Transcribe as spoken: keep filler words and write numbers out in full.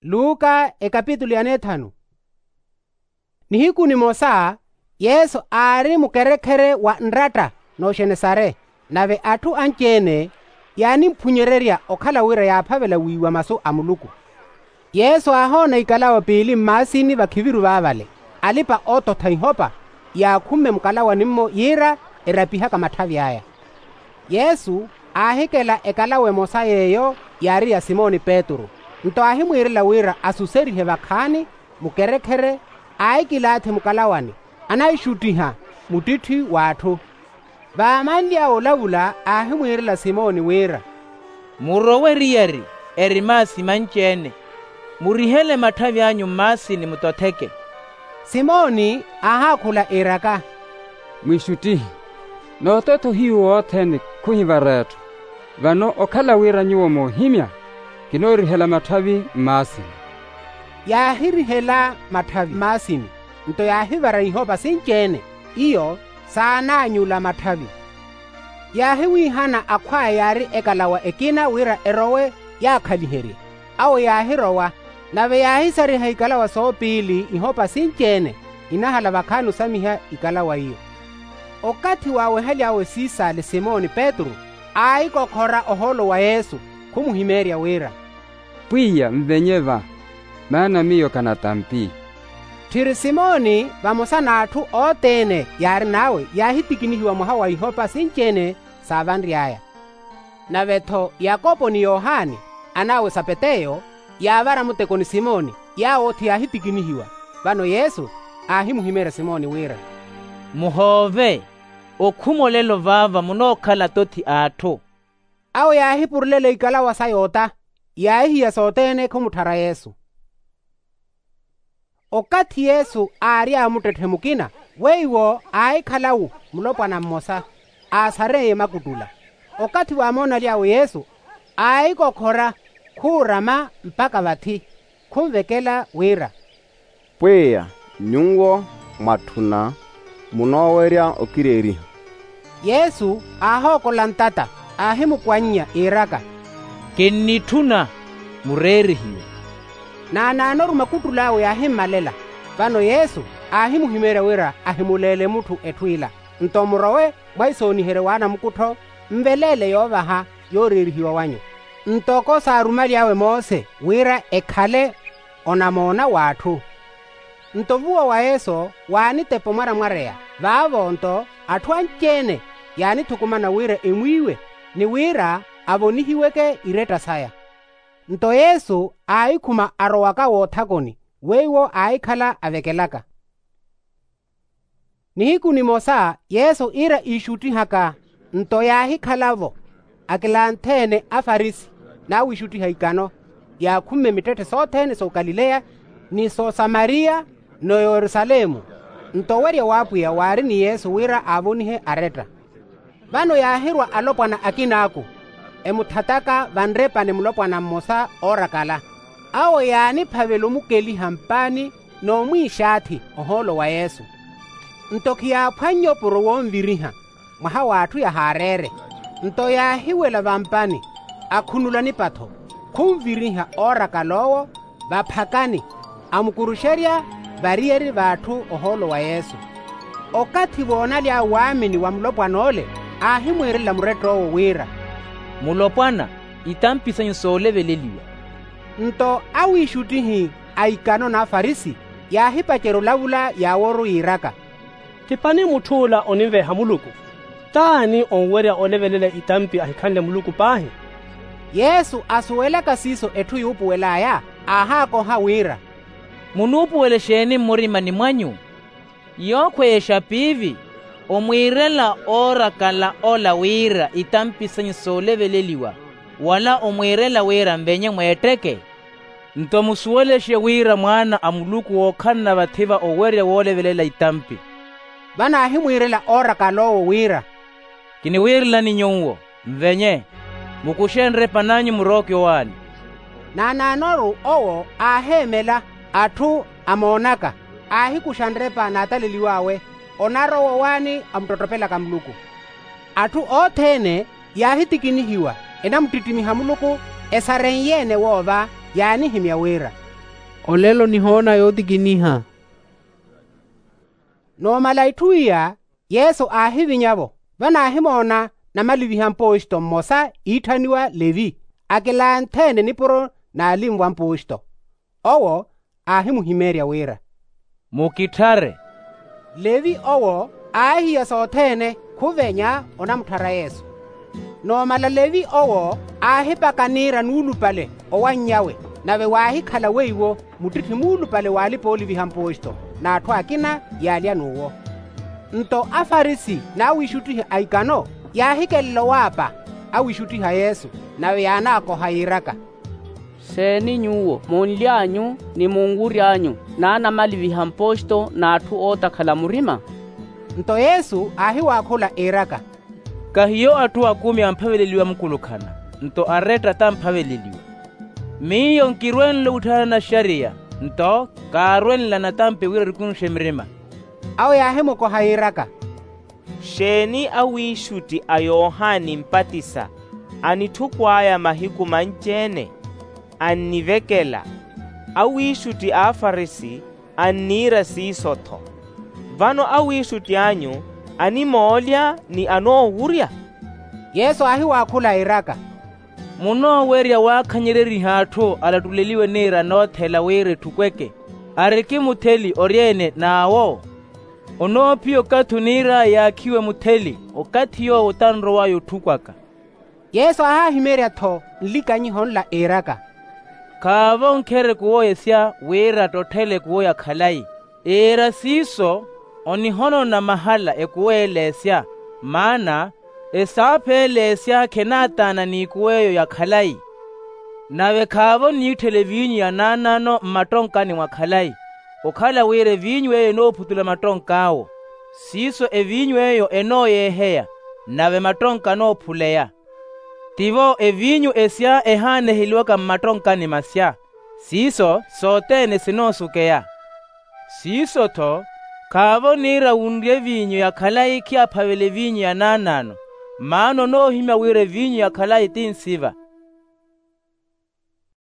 Luka ekapitulu ya neethanu. Nihiku nimosa yesu aari mukerekhere wa nratta n'oxenesare, nave atthu anci-ene yaanimphunyererya okhala wira yaaphavela wiiwa masu a muluku. Yesu aahoona ikalawa piili mmaasini vakhiviru vaavale, alipa-oototha ihopa yaakhumme mukalawani-mmo yiira erapihaka matthavi aya. Yesu aahikela ekalawa emosa yeeyo yaari ya simoni petru, nto aahimwiirela wira asuserihe vakhaani mukerekhere. Aahikilaathi mukalawani, anaixuttiha muttitthi w'atthu. Vaamanly'awe olavula aahimwiirela simoni wira, murowe eriyari eri maasi manci-ene, murihele matthavi anyu mmaasini mutotheke. Simoni aahaakhula iiraka, mwiixuttihi, noototha ohiyu wothene khuhivara etthu. Vano okhala wira nyuwo moohimya, kinoorihela matthavi mmaasini. Yaahirihela matthavi mmaasini, nto yaahivara ihopa sinci-ene, iyo saanaanyula matthavi. Yaahiwiihana akhw'aya yaari ekalawa ekina wira erowe yaakhaliherye. Awo yaahirowa, nave yaahisariha ikalawa soopiili ihopa sinci-ene inahala vakhaani osamiha ikalawa iyo. Okathi waawehaly'awe siisaale simoni petru, aahikokhora ohoolo wa yesu, khumuhimeerya wira, pwiya nvenye va, maana miyo kanatampi. Tthiri simoni vamosa n'atthu othene yaarin'awe yaahitikinihiwa mwaha wa ihopa sinci-ene saavanry'aya. Nave-tho yakopo ni yohani, an'awe sapeteyo, yaavara muteko ni simoni, yaawo othi yaahitikinihiwa. Vano yesu aahimuhimeerya simoni wira, muhoove, okhuma olelo vaava munookhala atothi a atthu. Awo yaahipurulela ikalawa saya ota, yaahihiya sothene khumutthara yesu. Okathi yesu aary'awe muttetthe mukina, weiwo aahikhala-wo mulopwana mmosa, aasareiye makuttula. Okathi waamoonaly'awe yesu, aahikokhora khuurama mpakha vathi, khunvekela wira, pwiya, nyuwo mwatthuna munoowerya okireeriha. Yesu aahookola ntata, aahimukwannya iiraka, kinnitthuna, mureerihiwe. Naanaanoru makuttul'awe yaahimmalela. Vano yesu aahimuhimeerya wira ahimuleele mutthu etthu ila, nto murowe mwahisooniheryo w'anamukuttho, nveleele yoovaha yooreerihiwa wanyu, ntoko saarumaly'awe mose wira ekhale onamoona w'atthu. Nto vuwa wa yesu waanitepa omwaramwareya. Vaavo nto atthu anci-ene yaanithukumana wira emwiiwe, ni wira avonihiweke iretta saya. Nto yesu aahikhuma arowaka woothakoni, weiwo aahikhala avekelaka. Nihiku nimosa yesu iira iixuttihaka, nto yaahikhala-vo akilanthene afarisi, n'awiixuttiha ikano yaakhumme mittetthe sothene s'okalileya, ni s'osamariya, n'oyerusalemu. Nto owerya w'apwiya waari ni yesu wira aavonihe aretta. Vano yaahirwa alopwana akin'aku, emuthataka vanrepani mulopwana mmosa oorakala. Awo yaaniphavela omukeliha mpaani n'omwiixaathi ohoolo wa yesu. Nto khiyaaphwannye opuro wonviriha, mwaha w'atthu yahaareere. Nto yaahiwela vampani, akhunula nipatho, khunviriha oorakala owo vaphakani, amukuruxerya variyari v'atthu ohoolo wa yesu. Okathi voonaly'awe waamini wa mulopwan'ole, aahimwiirela murett'owo wira, mulopwana, itampi sanyu sooleveleliwa. Nto awiixuttihi a ikano n'afarisi yaahipacerya olavula yaaworu yiiraka, tipani mutth'ula oninveeha muluku. T'ani onwerya olevelela itampi ahikhanle muluku paahi? Yesu asuwelaka siiso etthu yuupuwel'aya, aahaakoha wira, munuupuwela exeeni mmurimani mwanyu? Yookhweya exapiivi, omwiirela oorakala ola wira itampi sanyu sooleveleliwa, wala omwiirela wira nvenye mweetteke? Nto musuwelexe wira mwaana a muluku wookhalana vathi-va owerya woolevelela itampi. Vano aahimwiirela oorakala owo wira, kiniwiirelani nyuwo, nvenye, mukuxe nrepa n'anyu murooke owaani. Naanaanoru owo aaheemela atthu amoonaka, aahikuxa nrepa n'ataleliw'awe, onarowa owaani amuttottopelaka muluku. Atthu othene yaahitikinihiwa, enamuttittimiha muluku, esarenye-ene woova yaanihimya wira, Olelo nihoona yootikiniha. Noomala itthu iya, yesu aahivinya-vo, vano aahimoona namaliviha mpooxito mmosa iitthaniwa levi, akilantheene nipuro n'alinvo a mpooxito. Owo aahimuhimeerya wira, mukitthare. Levi owo aahiya sothene khuvenya onamutthara yesu. Noomala levi owo aahipaka niira nuulupale owanny'awe, nave waahikhala weiwo muttitthi muulupale w'alipa-ooliviha mpooxito n'atthu akina yaalya n'uwo. Nto afarisi n'awiixuttihi a ikano yaahikelela owaapa awiixuttiha yesu, nave yaanaakoha yiiraka, xeeni nyuwo munly'anyu ni munwury'anyu n'anamaliviha mpooxito n'atthu ootakhala murima? Nto yesu aahiwaakhula iiraka, kahiyo atthu akumi amphaveleliwa mukulukhana, nto aretta tamphaveleliwa. Miyo nkirwenle witthana naxariya, nto kaarwenla natampi wira erikunxe mirima. Awo yaahimukoha yiiraka, xeeni awiixutti a yohani mpatisa anitthukwaaya mahiku manci-ene? Annivekela. Awiixutti a afarisi anniira siiso-tho. Vano awiixutti anyu animoolya ni anoowurya? Yesu aahiwaakhula iiraka, munoowerya waakhanyereriha atthu alattuleliwe niira anoothela wira etthukweke, ariki mutheli oryeene n'awo? Onoophiya okathi oniir'aya yaakhiwe mutheli, okathi yoowo tanrow'aya otthukwaka. Yesu aahahimeerya-tho nlikanyiho nla iiraka, khaavo nkhere ekuwo esya wira attotthele ekuwo ya khalayi. Iira siiso, onihonona mahala ekuwo ele esya, maana esaapha ele esya khenaataana n'ikuwo eyo ya khalayi. Nave khaavo oniitthela eviinyu ya naanaano mmattonkani mwa khalayi, okhala wira eviinyu eyo enoophutula mattonk'awo. Siiso eviinyu eyo enooyeeheya, nave mattonka anoophuleya. Tivo eviinyu esya ehaaneheliwaka mmattonkani masya, siiso sothene sinoosukeya. Siiso-tho khaavo oniira wunrye eviinyu ya khalayi khiyaphavela eviinyu ya naanaano, maana onoohimya wira eviinyu ya khalayi ti nsiva.